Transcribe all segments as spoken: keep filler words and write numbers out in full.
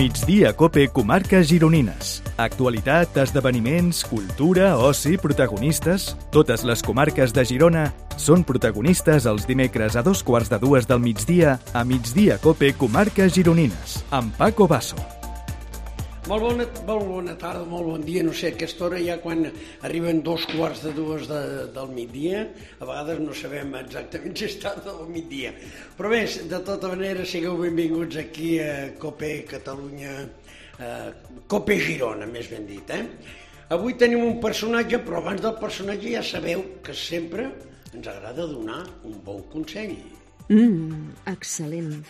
Migdia Cope Comarques Gironines. Actualitat, esdeveniments, cultura, oci, protagonistes... Totes les comarques de Girona són protagonistes els dimecres a dos quarts de dues del migdia a Migdia Cope Comarques Gironines, amb Paco Basso. Molt bona, molt bona tarda, molt bon dia. No sé, a aquesta hora ja quan arriben dos quarts de dues de, del migdia, a vegades no sabem exactament si és tarda o migdia. Però bé, de tota manera, sigueu benvinguts aquí a Cope Catalunya, eh, Cope Girona, més ben dit. Eh? Avui tenim un personatge, però abans del personatge ja sabeu que sempre ens agrada donar un bon consell. Mmm, excel·lent.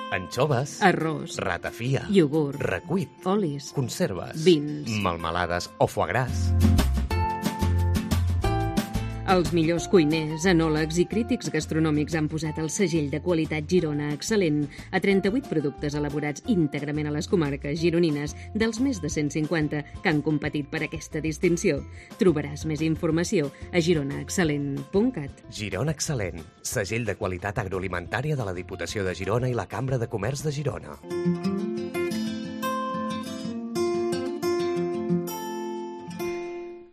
Anxoves, arròs, ratafia, iogurt, recuit, olis, conserves, vins, melmelades o foie gras. Els millors cuiners, enòlegs i crítics gastronòmics han posat el segell de qualitat Girona excel·lent a trenta-vuit productes elaborats íntegrament a les comarques gironines dels més de cent cinquanta que han competit per aquesta distinció. Trobaràs més informació a girona excel·lent punt cat. Girona Excel·lent, segell de qualitat agroalimentària de la Diputació de Girona i la Cambra de Comerç de Girona.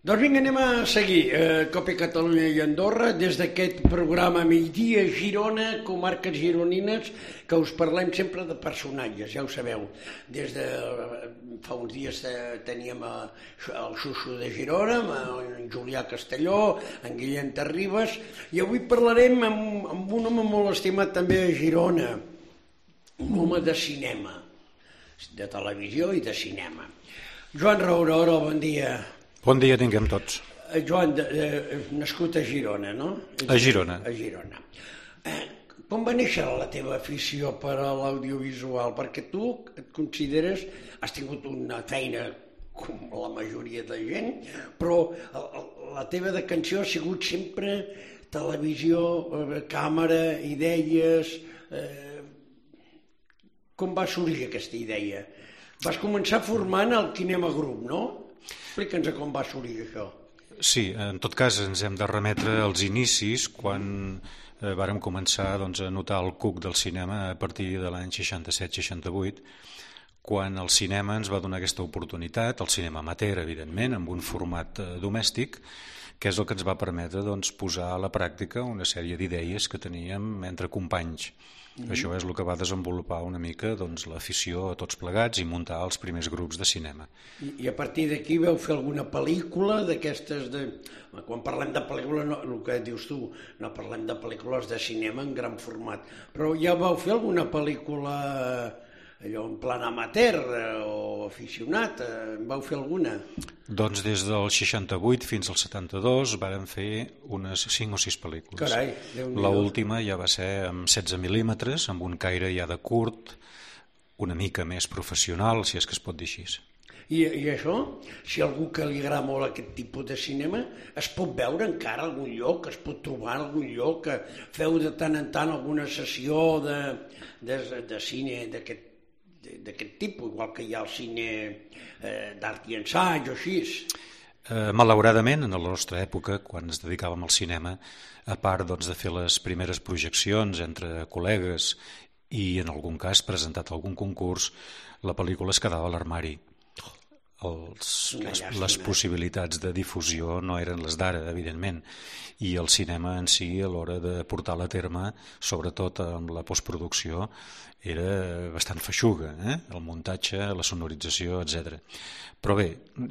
Doncs vinga, anem a seguir eh, Cope Catalunya i Andorra des d'aquest programa Migdia Girona, comarques gironines, que us parlem sempre de personatges, ja ho sabeu. Des de fa uns dies teníem el Xuxu de Girona, en Julià Castelló, en Guillem Terribas, i avui parlarem amb, amb un home molt estimat també a Girona, un home de cinema, de televisió i de cinema. Joan Raurora, bon dia. Bon dia tinguem tots. Joan, eh, nascut a Girona, no? A Girona. A Girona. Eh, com va néixer la teva afició per a l'audiovisual? Perquè tu et consideres, has tingut una feina com la majoria de gent, però la teva decanció ha sigut sempre televisió, eh, càmera, idees... Eh, com va sorgir aquesta idea? Vas començar formant el Kinema Group, no? Explica'ns com va sorgir això. Sí, en tot cas ens hem de remetre als inicis quan eh, vàrem començar doncs, a notar el cuc del cinema a partir de l'any seixanta-set seixanta-vuit, quan el cinema ens va donar aquesta oportunitat, el cinema amateur, evidentment, amb un format eh, domèstic, que és el que ens va permetre doncs, posar a la pràctica una sèrie d'idees que teníem entre companys. Mm-hmm. Això és el que va desenvolupar una mica doncs, l'afició a tots plegats i muntar els primers grups de cinema. I, i a partir d'aquí vau fer alguna pel·lícula d'aquestes de... Quan parlem de pel·lícula, no, el que dius tu, no parlem de pel·lícules de cinema en gran format, però ja vau fer alguna pel·lícula allò en plan amateur o aficionat? En vau fer alguna? Doncs des del seixanta-vuit fins al setanta-dos vàrem fer unes cinc o sis pel·lícules. Carai, l'última ja va ser amb setze mil·límetres, amb un caire ja de curt, una mica més professional, si és que es pot dir així. I, I això, si algú que li agrada molt aquest tipus de cinema, es pot veure encara a algun lloc, es pot trobar en algun lloc, que feu de tant en tant alguna sessió de, de, de cine d'aquest d'aquest tipus, igual que hi ha el cine eh, d'art i ensaig o així. Eh, malauradament, en la nostra època, quan ens dedicàvem al cinema, a part doncs, de fer les primeres projeccions entre col·legues i en algun cas presentat algun concurs, la pel·lícula es quedava a l'armari. Els, les, les possibilitats de difusió no eren les d'ara, evidentment, i el cinema en si, a l'hora de portar-la a terme, sobretot amb la postproducció, era bastant feixuga, eh? El muntatge, la sonorització, etcètera. Però bé,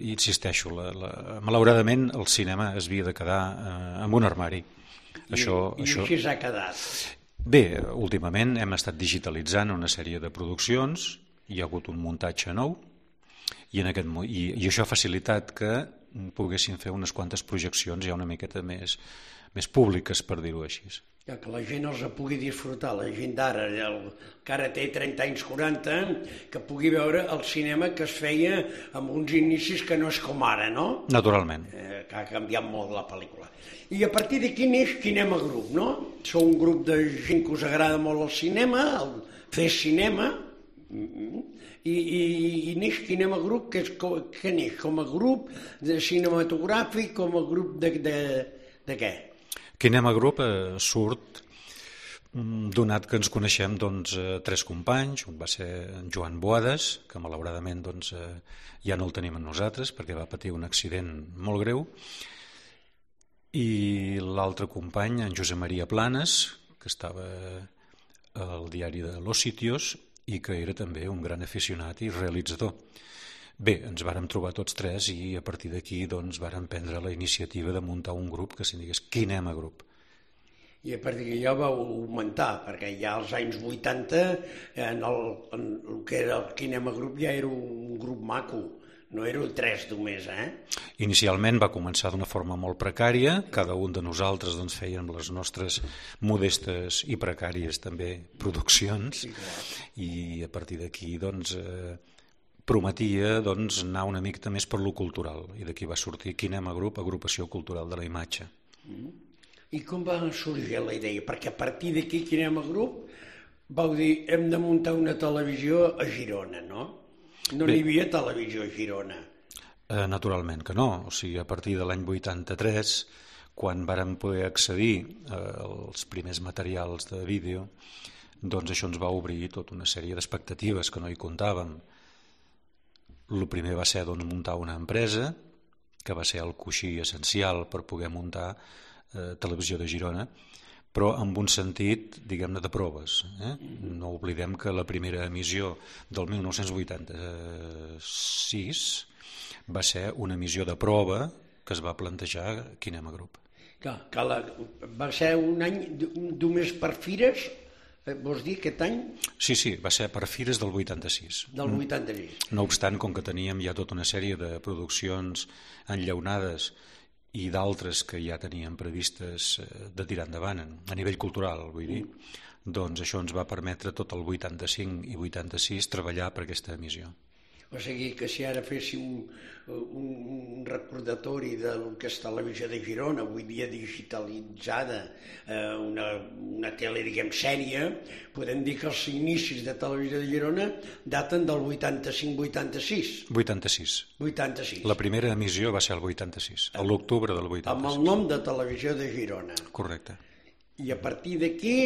insisteixo, la, la, malauradament el cinema es havia de quedar eh, amb un armari. I, això, i això... així s'ha quedat. Bé, últimament hem estat digitalitzant una sèrie de produccions, hi ha hagut un muntatge nou, i, en aquest, i, i això ha facilitat que poguessin fer unes quantes projeccions ja una miqueta més, més públiques, per dir-ho així. Ja, que la gent els pugui disfrutar, la gent d'ara, que ara té trenta anys, quaranta, que pugui veure el cinema que es feia amb uns inicis que no és com ara, no? Naturalment. Eh, que ha canviat molt la pel·lícula. I a partir d'aquí neix Kinema Group, no? Sou un grup de gent que us agrada molt el cinema, el fer cinema, i, i, i neix Kinema Group, que, és, que neix com a grup de cinematogràfic, com a grup de, de, de què? Kinema Group eh, surt Donat que ens coneixem doncs, tres companys, un va ser en Joan Boades, que malauradament doncs, ja no el tenim amb nosaltres perquè va patir un accident molt greu, i l'altre company, en Josep Maria Planes, que estava al diari de Los Sitios i que era també un gran aficionat i realitzador. Bé, ens vàrem trobar tots tres i a partir d'aquí doncs, vàrem prendre la iniciativa de muntar un grup que se'n digués Kinema Group. I a partir d'allò vau augmentar, perquè ja als anys vuitanta en el, en el que era el Kinema Group ja era un grup maco, no éreu tres només, eh? Inicialment va començar d'una forma molt precària, cada un de nosaltres doncs, fèiem les nostres modestes i precàries també produccions, sí, i a partir d'aquí doncs, eh, prometia doncs, anar una mica més per lo cultural, i d'aquí va sortir Kinema Group, Agrupació Cultural de la Imatge. Mm. I com va sorgir la idea? Perquè a partir d'aquí, Kinema Group, vau dir, hem de muntar una televisió a Girona, no? No n'hi havia televisió a Girona. Eh, naturalment que no. O sigui, a partir de l'any vuitanta-tres, quan vàrem poder accedir eh, als primers materials de vídeo, doncs això ens va obrir tota una sèrie d'expectatives que no hi comptàvem. El primer va ser doncs, muntar una empresa, que va ser el coixí essencial per poder muntar Televisió de Girona, però amb un sentit, diguem-ne, de proves. Eh? No oblidem que la primera emissió del mil nou-cents vuitanta-sis va ser una emissió de prova que es va plantejar Kinema Group. Clar, que la, va ser un any només per fires, vols dir, aquest any? Sí, sí, va ser per fires del vuitanta-sis. Del vuitanta-sis. No obstant, com que teníem ja tota una sèrie de produccions enllaunades i d'altres que ja teníem previstes de tirar endavant a nivell cultural, vull dir, doncs això ens va permetre tot el vuitanta-cinc i vuitanta-sis treballar per aquesta emissió. O sigui que si ara féssim un recordatori del que és Televisió de Girona, avui dia digitalitzada, una, una tele, diguem, sèria, podem dir que els inicis de Televisió de Girona daten del vuitanta-cinc vuitanta-sis. vuitanta-sis. vuitanta-sis. La primera emissió va ser el vuitanta-sis, a l'octubre del vuitanta-sis. Amb el nom de Televisió de Girona. Correcte. I a partir d'aquí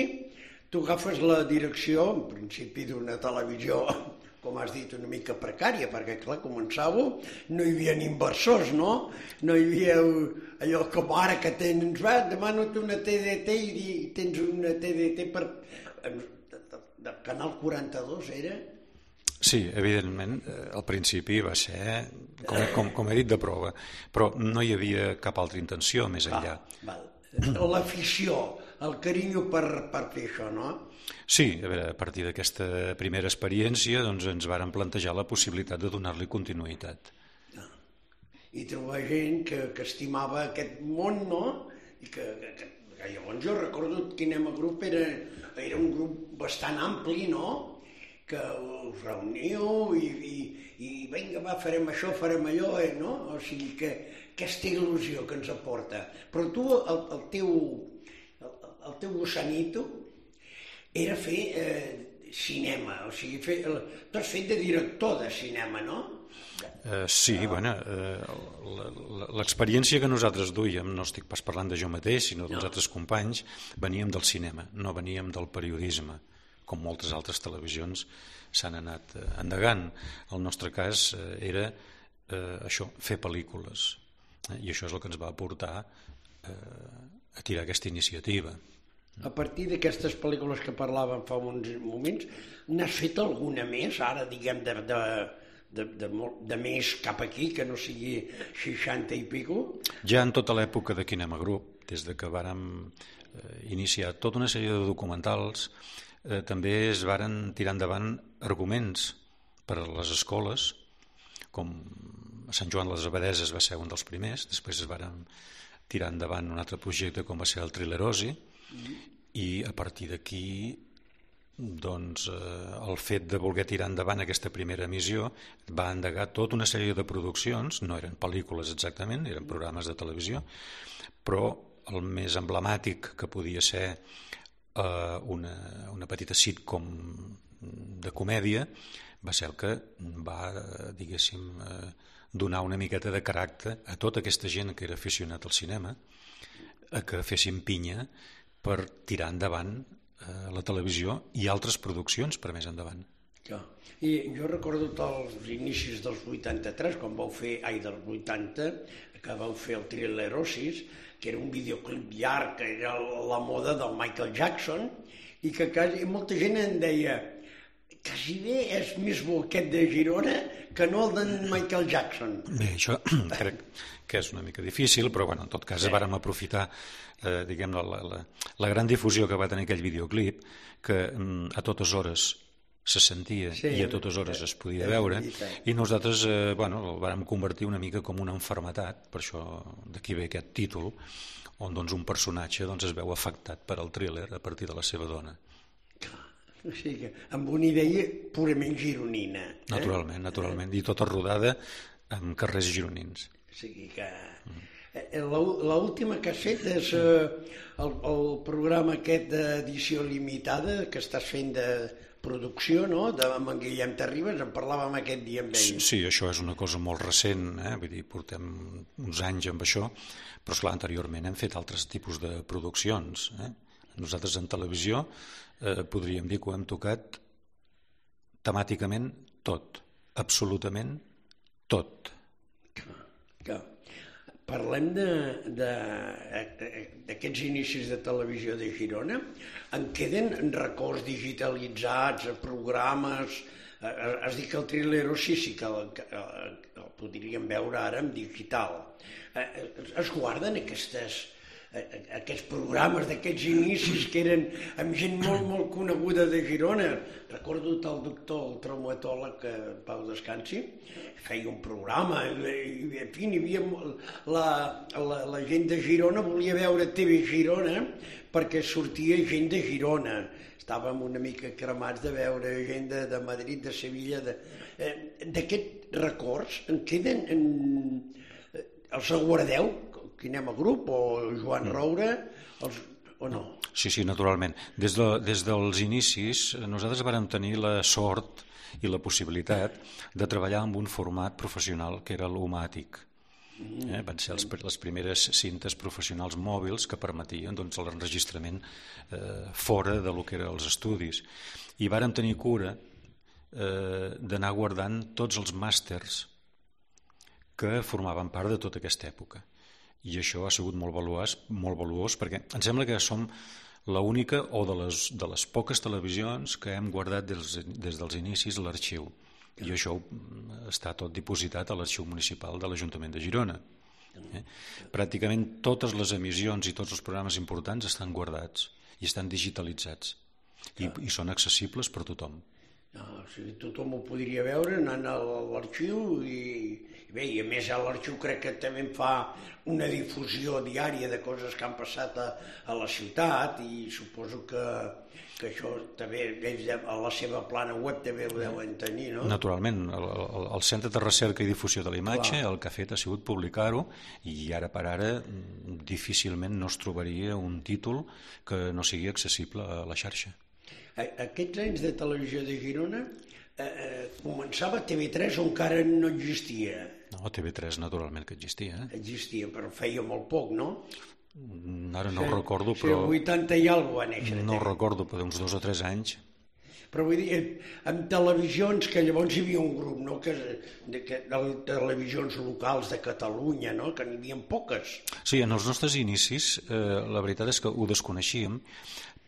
tu agafes la direcció, en principi, d'una televisió, com has dit, una mica precària, perquè, clar, començàveu, no hi havia inversors, no? No hi havia allò com ara que tens, va, demano una T D T i tens una T D T per... de Canal quaranta-dos, era? Sí, evidentment, al principi va ser, com, com, com he dit, de prova, però no hi havia cap altra intenció més enllà. Val, val. L'afició, el carinyo per, per fer això, no? Sí, a veure, a partir d'aquesta primera experiència doncs ens varen plantejar la possibilitat de donar-li continuïtat. No. I trobar gent que, que estimava aquest món, no? I que, que, que llavors jo recordo que Kinema Group era, era un grup bastant ampli, no? Que us reuníeu i, i, i vinga, va, farem això, farem allò, eh, no? O sigui que aquesta il·lusió que ens aporta. Però tu, el, el teu, el, el teu gossanito, era fer eh, cinema, o sigui, fer, tu has fet de director de cinema, no? Uh, sí, uh, bueno, uh, l'experiència que nosaltres duíem, no estic pas parlant de jo mateix, sinó dels no. altres companys, veníem del cinema, no veníem del periodisme, com moltes altres televisions s'han anat uh, endegant. El nostre cas uh, era uh, això, fer pel·lícules, uh, i això és el que ens va portar uh, a tirar aquesta iniciativa. A partir d'aquestes pel·lícules que parlàvem fa uns moments, n'has fet alguna més, ara, diguem, de, de, de, de, de més cap aquí, que no sigui seixanta i pico? Ja en tota l'època de Kinema Group, des de que vàrem eh, iniciar tota una sèrie de documentals, eh, també es varen tirar endavant arguments per a les escoles, com a Sant Joan les Abadeses va ser un dels primers, després es varen tirar endavant un altre projecte com va ser el Trilerosi, i a partir d'aquí doncs, eh, el fet de voler tirar endavant aquesta primera emissió va endegar tota una sèrie de produccions, no eren pel·lícules exactament, eren programes de televisió, però el més emblemàtic que podia ser eh, una, una petita sitcom de comèdia va ser el que va, diguéssim, eh, donar una miqueta de caràcter a tota aquesta gent que era aficionat al cinema, a que fessin pinya per tirar endavant eh, la televisió i altres produccions per més endavant. Ja. I jo recordo els inicis dels vuitanta-tres, quan vau fer, ai, dels vuitanta, que vau fer el Trilerosis, que era un videoclip llarg, que era la moda del Michael Jackson, i que quasi, molta gent em deia quasi bé és més bo aquest de Girona que no el d'en Michael Jackson. Bé, això crec que és una mica difícil, però bueno, en tot cas sí. Vàrem aprofitar eh, diguem, la, la, la gran difusió que va tenir aquell videoclip, que mm, a totes hores se sentia sí, i a totes hores es podia sí, veure, sí. I nosaltres eh, bueno, el vàrem convertir una mica com una malaltia, per això d'aquí ve aquest títol, on doncs, un personatge doncs, es veu afectat per al thriller a partir de la seva dona. O sigui que amb una idea purament gironina. Eh? Naturalment, naturalment, i tota rodada en carrers gironins. O sigui que... Mm. L'última que has fet és eh, el, el programa aquest d'edició limitada que estàs fent de producció, no?, de amb en Guillem Terribas, en parlàvem aquest dia amb ell. Sí, sí, això és una cosa molt recent, eh? Vull dir, portem uns anys amb això, però esclar, anteriorment hem fet altres tipus de produccions. Eh? Nosaltres en televisió eh, podríem dir que ho hem tocat temàticament tot, absolutament tot. Clar, clar. Parlem d'aquests inicis de televisió de Girona. En queden records digitalitzats, programes... Has dit que el Trilerosis sí, sí que el, que el podríem veure ara en digital. Es guarden aquestes, aquests programes d'aquests inicis que eren amb gent molt, molt coneguda de Girona. Recordo el doctor, el traumatòleg, que Pau descansi, feia un programa i, en fi, hi havia la, la, la gent de Girona volia veure T V Girona perquè sortia gent de Girona. Estàvem una mica cremats de veure gent de, de Madrid, de Sevilla. De, eh, d'aquests records en queden... En, els guardeu? Que anem a grup? O Joan Roure? Els, o no? Sí, sí, naturalment. Des, de, des dels inicis nosaltres vàrem tenir la sort i la possibilitat de treballar amb un format professional que era l'Humàtic. Eh? Van ser els, les primeres cintes professionals mòbils que permetien doncs, l'enregistrament eh, fora de lo que eren els estudis. I vàrem tenir cura eh, d'anar guardant tots els màsters que formaven part de tota aquesta època. I això ha sigut molt valuós, molt valuós perquè em sembla que som l'única o de les, de les poques televisions que hem guardat des, des dels inicis l'arxiu. I això està tot dipositat a l'arxiu municipal de l'Ajuntament de Girona. Eh? Pràcticament totes les emissions i tots els programes importants estan guardats i estan digitalitzats i, i són accessibles per tothom. No, o sigui, tothom ho podria veure anant a l'arxiu i, i bé, i a més a l'arxiu crec que també fa una difusió diària de coses que han passat a, a la ciutat i suposo que, que això també ells a la seva plana web també ho deuen tenir, no? Naturalment, el, el, el Centre de Recerca i Difusió de la Imatge el que ha fet ha sigut publicar-ho i ara per ara difícilment no es trobaria un títol que no sigui accessible a la xarxa. Aquests anys de televisió de Girona eh, eh, començava T V tres o encara no existia? No, T V tres naturalment que existia. Eh? Existia, però feia molt poc, no? Ara no ho recordo, però... O sigui, el vuitanta i alguna cosa va néixer. No ho recordo, però uns dos o tres anys. Però vull dir, en televisions, que llavors hi havia un grup, no?, que, de, que, de televisions locals de Catalunya, no?, que n'hi havia poques. Sí, en els nostres inicis, eh, la veritat és que ho desconeixíem,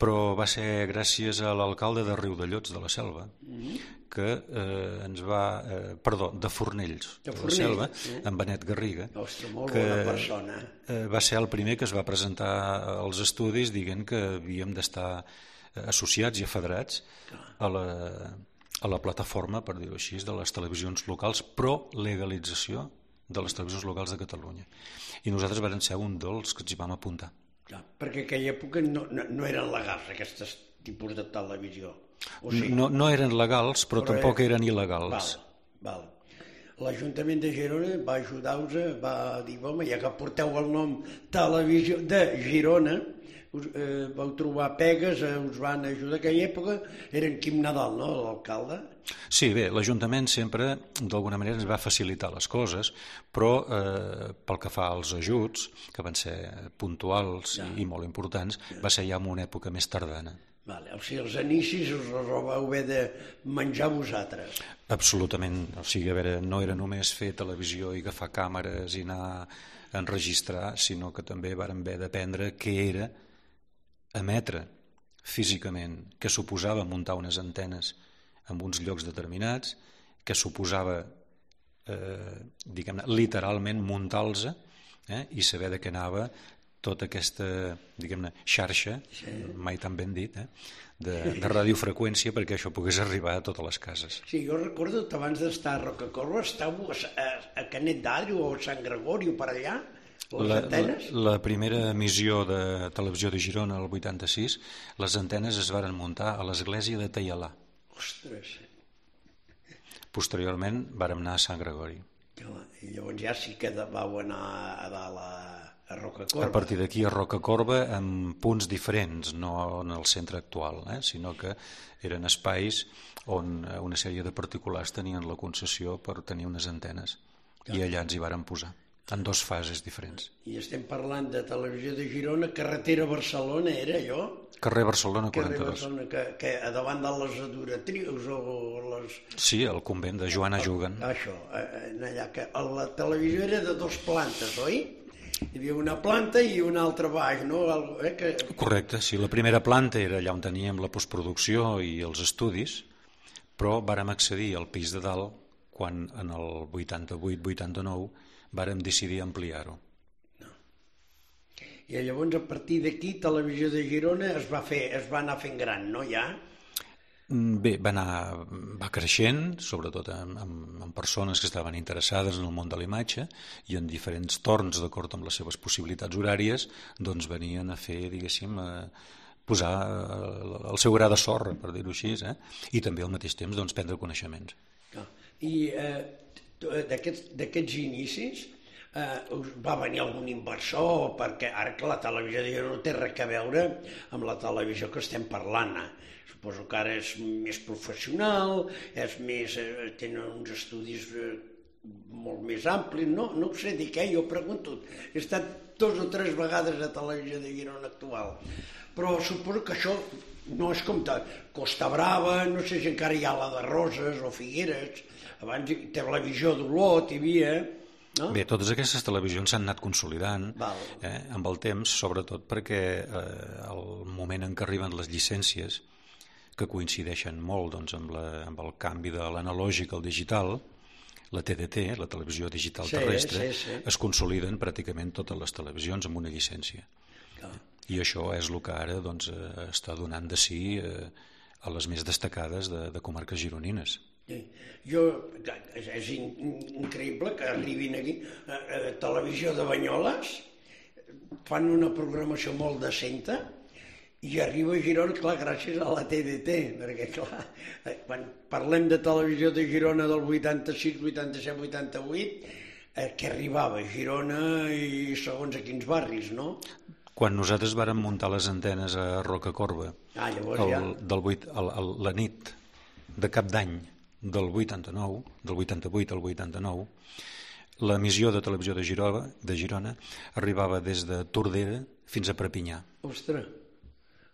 però va ser gràcies a l'alcalde de Riudellots de la Selva, mm-hmm. que eh, ens va... Eh, perdó, de Fornells, de, de Fornells, la Selva, eh? En Benet Garriga, Ostres, molt que bona persona. Eh, va ser el primer que es va presentar als estudis dient que havíem d'estar associats i afederats a la, a la plataforma, per dir-ho així, de les televisions locals, pro legalització de les televisions locals de Catalunya. I nosaltres vam ser un dels que ens hi vam apuntar. Clar, perquè en aquella època no, no, no eren legals aquests tipus de televisió. O sigui, no, no eren legals, però, però tampoc eren il·legals. Val, val. L'Ajuntament de Girona va ajudar-vos, va dir, home, ja que porteu el nom Televisió de Girona, us, eh, vau trobar pegues, eh, us van ajudar. En aquella època era en Quim Nadal, no?, l'alcalde? Sí, bé, l'Ajuntament sempre d'alguna manera ens va facilitar les coses, però eh, pel que fa als ajuts, que van ser puntuals ja. i, i molt importants, ja. va ser ja en una època més tardana. Vale, o sigui, els inicis us els vau haver de menjar vosaltres. Absolutament, o sigui, a veure, no era només fer televisió i agafar càmeres i anar a enregistrar, sinó que també vàrem haver d'aprendre què era emetre físicament, què suposava muntar unes antenes en uns llocs determinats, què suposava, eh, diguem-ne, literalment muntar-los eh, i saber de què anava tota aquesta, diguem-ne, xarxa, sí. mai tan ben dit, eh, de, de radiofreqüència perquè això pogués arribar a totes les cases. Sí, jo recordo que abans d'estar a Rocacorba estàveu a, a, a Canet d'Adri o a Sant Gregori o per allà, les la, antenes. La, la primera emissió de televisió de Girona, el vuitanta-sis, les antenes es varen muntar a l'església de Taialà. Ostres! Posteriorment vàrem anar a Sant Gregori. I llavors ja sí que vau anar a dalt a a Rocacorba. A partir d'aquí a Rocacorba amb punts diferents, no en el centre actual, eh? sinó que eren espais on una sèrie de particulars tenien la concessió per tenir unes antenes ja. I allà ens hi varen posar, en dos fases diferents. I estem parlant de televisió de Girona, carretera Barcelona era allò? Carrer Barcelona quaranta-dos. Carrer Barcelona, que, que a davant de les adoratrius o les... Sí, el convent de Joana Juguen. Això, allà, que la televisió era de dos plantes, oi? Hi havia una planta i una altra baix, no? Eh, que... Correcte, sí, la primera planta era allà on teníem la postproducció i els estudis, però vàrem accedir al pis de dalt quan en el vuitanta-vuit vuitanta-nou vàrem decidir ampliar-ho. No. I llavors a partir d'aquí Televisió de Girona es va fer, es va anar fent gran, no, ja? Bé, va, anar, va creixent, sobretot amb, amb, amb persones que estaven interessades en el món de la imatge i en diferents torns, d'acord amb les seves possibilitats horàries, doncs venien a fer, diguéssim, a posar el seu gra de sorra, per dir-ho així, eh? I també al mateix temps doncs, prendre coneixements. I eh, d'aquests inicis eh, us va venir algun inversor, perquè ara que la televisió de Girona no té res a veure amb la televisió que estem parlant, eh? Suposo que ara és més professional, és més, eh, tenen uns estudis eh, molt més amplis, no, no ho sé dir què, jo pregunto, he estat dos o tres vegades a Televisió de Girona actual, però suposo que això no és com Costa Brava, no sé si encara hi ha la de Roses o Figueres, abans Televisió d'Olot hi havia... No? Bé, totes aquestes televisions s'han anat consolidant eh, amb el temps, sobretot perquè eh, el moment en què arriben les llicències, que coincideixen molt doncs, amb, la, amb el canvi de l'analògic al digital, la T D T, la televisió digital sí, terrestre, sí, sí. es consoliden pràcticament totes les televisions amb una llicència. Clar. I això és el que ara doncs, està donant de si eh, a les més destacades de, de comarques gironines. Sí. Jo, és in, increïble que arribin aquí a, a Televisió de Banyoles, fan una programació molt decenta, i arriba a Girona, clar, gràcies a la T D T, perquè, clar, quan parlem de Televisió de Girona del vuitanta-sis, vuitanta-set, vuitanta-vuit, eh, que arribava a Girona i segons a quins barris, no? Quan nosaltres vàrem muntar les antenes a Rocacorba, ah, llavors el, ja... del vuit, el, el, la nit de cap d'any del vuitanta-nou, del vuitanta-vuit al vuitanta-nou, l'emissió de Televisió de Girona, de Girona arribava des de Tordera fins a Perpinyà. Ostres!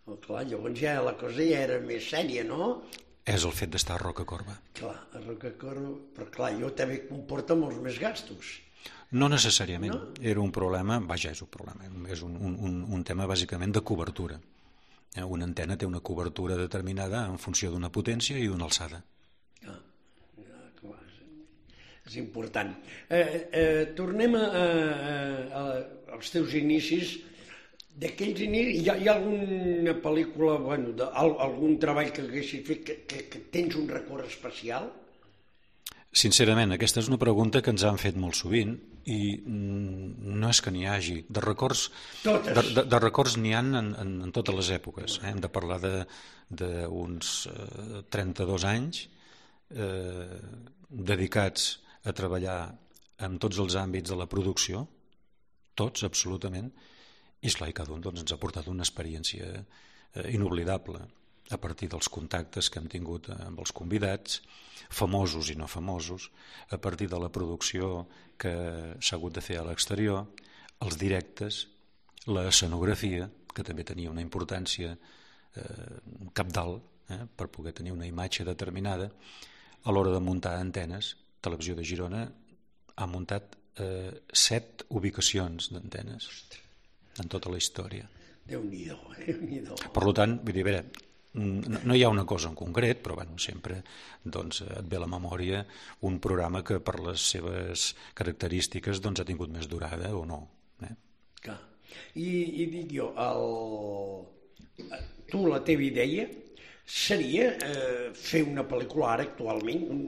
Oh, clar, llavors ja la cosa ja era més sèria, no? És el fet d'estar a Rocacorba. Clar, a Rocacorba, però clar, jo també comporta molts més gastos. No necessàriament, no? Era un problema, vaja, és un problema, és un, un, un tema bàsicament de cobertura. Una antena té una cobertura determinada en funció d'una potència i d'una alçada. Ah, ja, clar, és important. Eh, eh, tornem a, a, a, als teus inicis. D'aquells inicis, hi ha, hi ha alguna pel·lícula, bueno, de, algun treball que haguessis fet que, que, que tens un record especial? Sincerament, aquesta és una pregunta que ens han fet molt sovint i no és que n'hi hagi. De records Totes. de, de, de records n'hi ha en, en, en totes les èpoques. Eh? Hem de parlar d'uns eh, trenta-dos anys eh, dedicats a treballar en tots els àmbits de la producció, tots, absolutament, i esclar, i cada un doncs, ens ha portat una experiència eh, inoblidable a partir dels contactes que hem tingut amb els convidats, famosos i no famosos, a partir de la producció que s'ha hagut de fer a l'exterior, els directes, l'escenografia, que també tenia una importància eh, cabdal, eh, per poder tenir una imatge determinada. A l'hora de muntar antenes, Televisió de Girona ha muntat eh, set ubicacions d'antenes en tota la història. Déu-n'hi-do, Déu-n'hi-do. Per tant, vull dir, a veure, no, no hi ha una cosa en concret, però bueno, sempre doncs, et ve a la memòria un programa que per les seves característiques doncs, ha tingut més durada o no. Eh? Clar. I, i dic jo, el... tu la teva idea seria eh, fer una pel·lícula ara actualment, un...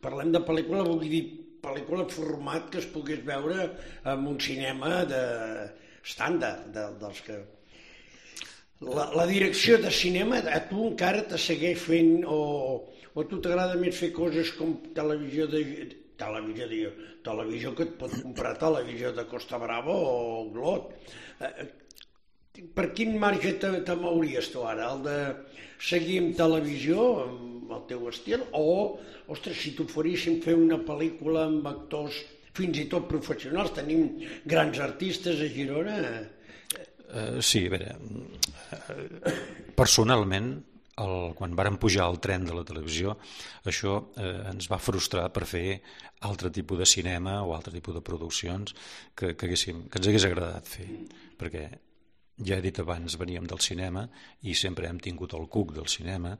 parlem de pel·lícula, vull dir pel·lícula format que es pogués veure en un cinema de estàndard, de, dels que... La, la direcció de cinema a tu encara te segueix fent o, o a tu t'agrada més fer coses com televisió de... televisió de... televisió que et pot comprar televisió de Costa Brava o Glot. Eh, per quin marge te, te mouries tu ara? El de seguir amb televisió, amb el teu estil, o, ostres, si t'oferíssim fer una pel·lícula amb actors fins i tot professionals, tenim grans artistes a Girona... Uh, sí, a veure, uh, personalment, el, quan vàrem pujar al tren de la televisió, això uh, ens va frustrar per fer altre tipus de cinema o altre tipus de produccions que, que, haguéssim, que ens hagués agradat fer, perquè ja he dit abans, veníem del cinema i sempre hem tingut el cuc del cinema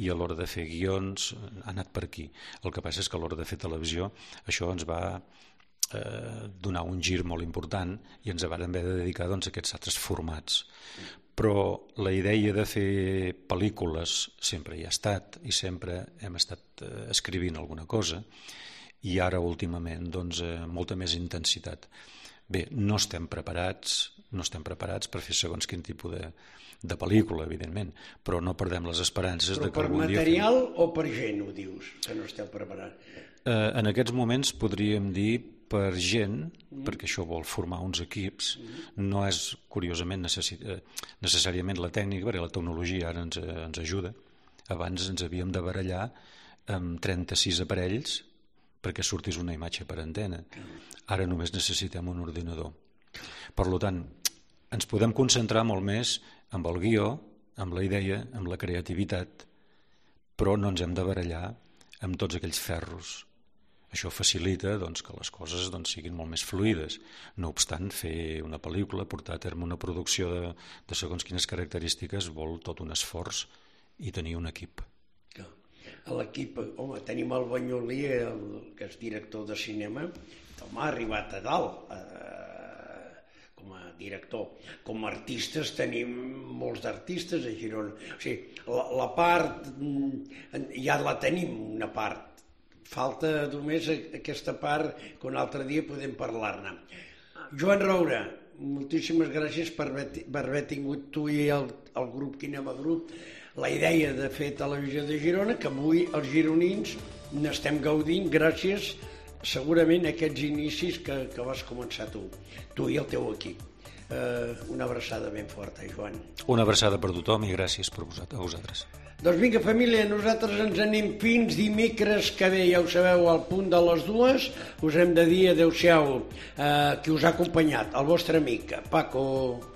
i a l'hora de fer guions ha anat per aquí. El que passa és que a l'hora de fer televisió això ens va eh, donar un gir molt important i ens vam haver de dedicar doncs, a aquests altres formats. Però la idea de fer pel·lícules sempre hi ha estat i sempre hem estat eh, escrivint alguna cosa i ara últimament doncs, eh, molta més intensitat. Bé, no estem preparats, no estem preparats per fer segons quin tipus de, de pel·lícula, evidentment, però no perdem les esperances però de que algun dia... Però per material o per gent ho dius, que no esteu preparats? Eh, en aquests moments podríem dir per gent, mm. perquè això vol formar uns equips, mm. no és curiosament necessi... necessàriament la tècnica, perquè la tecnologia ara ens, ens ajuda. Abans ens havíem de barallar amb trenta-sis aparells perquè sortís una imatge per antena. Ara només necessitem un ordinador. Per tant, ens podem concentrar molt més amb el guió, amb la idea, amb la creativitat, però no ens hem de barallar amb tots aquells ferros. Això facilita doncs, que les coses doncs, siguin molt més fluides. No obstant, fer una pel·lícula, portar a terme una producció de, de segons quines característiques vol tot un esforç i tenir un equip. A l'equip, home, tenim el Banyolí, el, que és director de cinema, home, ha arribat a dalt eh, com a director. Com a artistes tenim molts d'artistes a Girona. O sigui, la, la part, ja la tenim, una part. Falta només aquesta part que un altre dia podem parlar-ne. Joan Roura, moltíssimes gràcies per haver, per haver tingut tu i el, el grup Kinema Group la idea de fer Televisió de Girona, que avui els gironins n'estem gaudint gràcies segurament a aquests inicis que, que vas començar tu, tu i el teu equip. Eh, una abraçada ben forta, Joan. Una abraçada per tothom i gràcies per a vosaltres. Doncs vinga, família, nosaltres ens anem fins dimecres que ve, ja ho sabeu, al punt de les dues. Us hem de dir adeu-siau, eh, qui us ha acompanyat, el vostre amic, Paco.